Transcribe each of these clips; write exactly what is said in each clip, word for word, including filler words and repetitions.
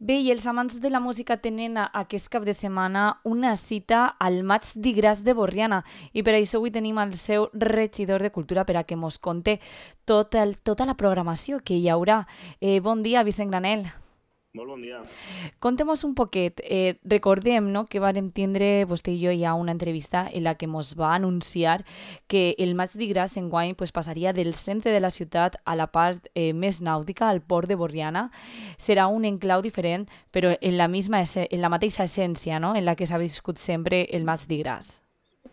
Bé, i els amants de la música tenen a- aquest cap de setmana una cita al Maig d'Igràs de Borriana i per això avui tenim el seu regidor de Cultura per a que mos conte tot el, tota la programació que hi haurà. Eh, bon dia, Vicent Granel. Molt bon dia. Contem-nos un poquet. Eh, recordem, no?, que vàrem tindre vostè i jo ja una entrevista en la que mos va anunciar que el Maig d'Igràs enguany pues, passaria del centre de la ciutat a la part eh, més nàutica, al port de Borriana. Serà un enclau diferent, però en la, misma, esse- en la mateixa essència, no?, en la que s'ha viscut sempre el Maig d'Igràs.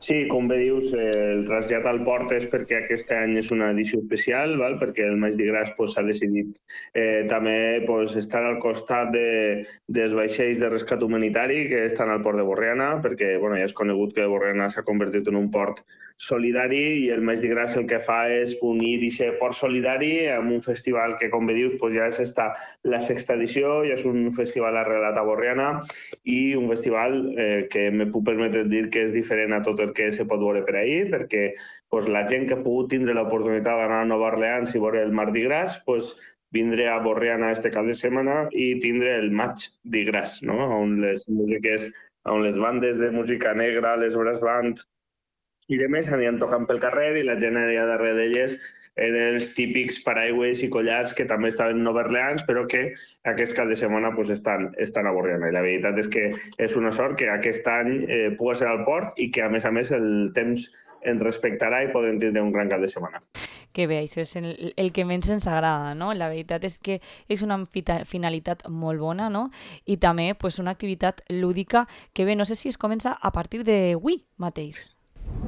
Sí, com bé dius, eh, el trasllat al port és perquè aquest any és una edició especial, val? Perquè el Maig d'Igràs pues, s'ha decidit eh, també pues, estar al costat de, dels vaixells de rescat humanitari que estan al port de Borriana, perquè bueno, ja és conegut que Borriana s'ha convertit en un port solidari i el Maig d'Igràs el que fa és unir aquest port solidari amb un festival que, com bé dius, pues, ja és esta, la sexta edició, ja és un festival arrelat a Borriana i un festival eh, que me puc permetre dir que és diferent a tot el que se pot veure per ahir, perquè pues, la gent que ha pogut tindre l'oportunitat d'anar a Nova Orleans i veure el Mardi Gras, pues, vindré a Borriana este cap de setmana i tindre el Maig d'Igràs, no? On les músiques, on les bandes de música negra, les brass band i de més aniran tocant pel carrer i la gent anirà darrere d'elles en els típics paraigües i collars que també estaven a Nova Orleans, però que aquest cap de setmana pues, estan, estan a Borriana. I la veritat és que és una sort que aquest any eh, pugui ser al port i que, a més a més, el temps ens respectarà i podrem tindre un gran cap de setmana. Que bé, això és el, el que menys ens agrada, no? La veritat és que és una fita- finalitat molt bona, no? I també pues, una activitat lúdica que bé, no sé si es comença a partir d'avui mateix.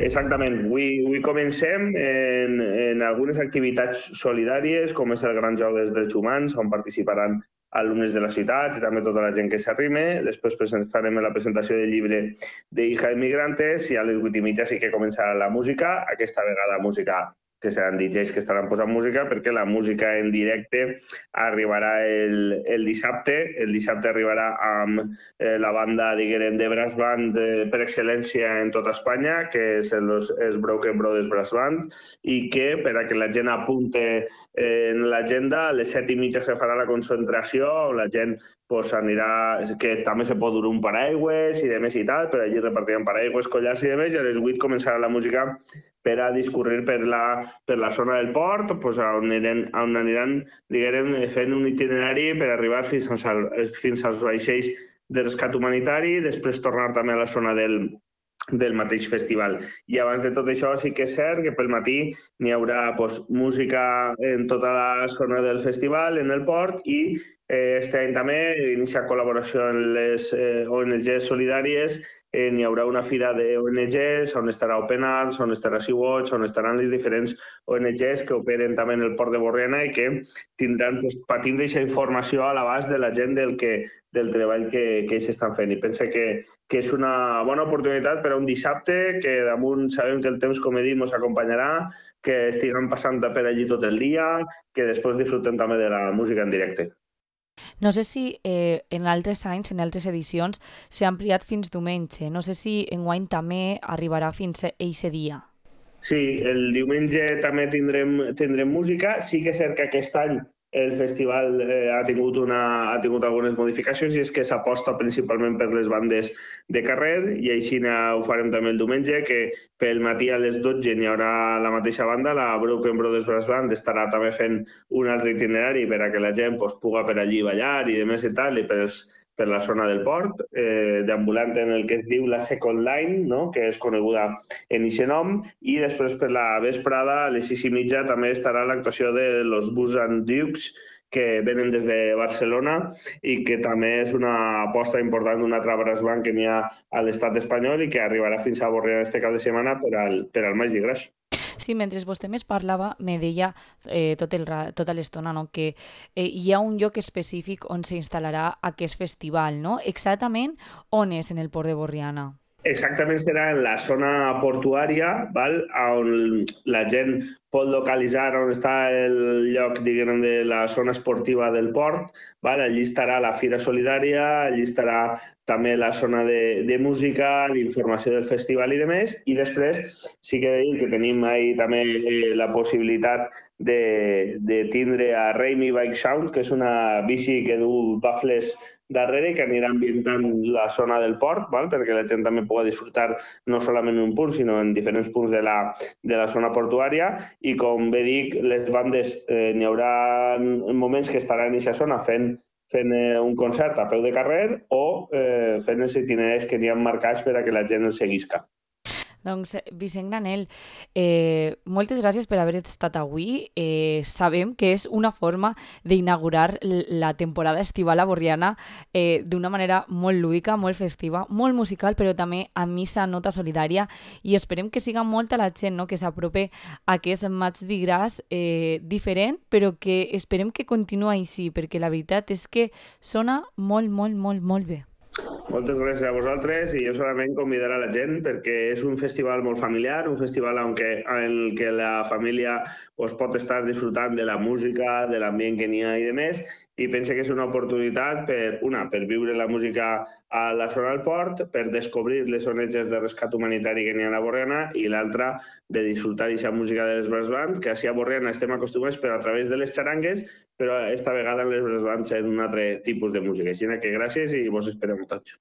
Exactament. Avui, avui comencem en, en algunes activitats solidàries, com és el Gran Joc dels Drets Humans, on participaran alumnes de la ciutat i també tota la gent que s'arrime. Després farem la presentació del llibre de Hija de Migrantes i a les vuit i mitja sí que començarà la música, aquesta vegada música que seran D Js que estaran posant música, perquè la música en directe arribarà el, el dissabte. El dissabte arribarà amb eh, la banda, diguem, de brass band eh, per excel·lència en tota Espanya, que és els, els Broken Brothers Brass Band, i que, per a que la gent apunte eh, en l'agenda, a les set i mitja se farà la concentració, on la gent pues, anirà, que també se pot dur un paraigües i de més i tal, però allí repartiran paraigües, collars i de més, i a les vuit començarà la música per a discurrir per la, per la zona del port, pues, on, aniran, on aniran diguem, fent un itinerari per arribar fins als, fins als vaixells de rescat humanitari, després tornar també a la zona del, del mateix festival. I abans de tot això sí que és cert que pel matí n'hi haurà pues, música en tota la zona del festival, en el port, i eh, este any també iniciar col·laboració amb les eh, O N Ges solidàries. Eh, n'hi haurà una fira d'O N Ges on estarà Open Arms, on estarà Sea-Watch, on estaran les diferents O N Ges que operen també en el port de Borriana i que tindran, pues, per tindre aquesta informació a l'abast de la gent del, que, del treball que, que ells estan fent. I pense que, que és una bona oportunitat per a un dissabte, que damunt sabem que el temps, com he dit, ens acompanyarà, que estiguem passant per allí tot el dia, que després disfrutem també de la música en directe. No sé si eh, en altres anys, en altres edicions, s'ha ampliat fins diumenge. No sé si enguany també arribarà fins a eixe dia. Sí, el diumenge també tindrem, tindrem música. Sí que és cert que aquest any el festival eh, ha, tingut una, ha tingut algunes modificacions i és que s'aposta principalment per les bandes de carrer i així ho farem també el diumenge, que pel matí a les dotze n'hi haurà la mateixa banda, la Broken Brothers Brass Band estarà també fent un altre itinerari per a que la gent pues, puga per allí ballar i de més i tal, i per, els, per la zona del port, eh, deambulant en el que es diu la Second Line, no? Que és coneguda en aquest nom, i després per la vesprada, a les sis i mitja, també estarà l'actuació de los Bus and Dukes, que venen des de Barcelona i que també és una aposta important d'un altre brass band que n'hi ha a l'estat espanyol i que arribarà fins a Borriana este cap de setmana per al, per al Maig d'Igràs. Sí, mentre vostè més parlava, me deia eh, tot el, tota l'estona, no?, que eh, hi ha un lloc específic on s'instal·larà aquest festival, no? Exactament on és en el port de Borriana? Exactament serà en la zona portuària, val? On la gent pot localitzar on està el lloc, diguem, de la zona esportiva del port. Val? Allí estarà la Fira Solidària, allí estarà també la zona de, de música, d'informació del festival i de més. I després sí que he de dir que tenim ahí també eh, la possibilitat de, de tindre a Raimi Bike Sound, que és una bici que du bafles darrere que anirà ambientant la zona del port, val? Perquè la gent també pugui disfrutar no solament en un punt, sinó en diferents punts de la, de la zona portuària. I com bé dic, les bandes, eh, n'hi haurà moments que estaran en aquesta zona fent fent eh, un concert a peu de carrer o eh, fent els itineraris que n'hi ha marcats per a que la gent els seguisca. Doncs, Vicent Granell, eh, moltes gràcies per haver estat avui. Eh, sabem que és una forma d'inaugurar la temporada estival a Borriana eh, d'una manera molt lúdica, molt festiva, molt musical, però també a missa nota solidària, i esperem que siga molta la gent, no?, que s'aprope a aquest Maig de Gras eh, diferent, però que esperem que continuï així, perquè la veritat és que sona molt, molt, molt, molt bé. Moltes gràcies a vosaltres i jo solament convidar a la gent perquè és un festival molt familiar, un festival en què, en què la família pues, pot estar disfrutant de la música, de l'ambient que n'hi ha i de més, i pense que és una oportunitat per, una, per viure la música a la zona del port, per descobrir les onatges de rescat humanitari que n'hi ha a Borriana, i l'altra, de disfrutar d'aquesta música de les brass band, que així a Borriana estem acostumats però a través de les xarangues, però esta vegada en les brass bands en un altre tipus de música. Així que gràcies i vos esperem tots.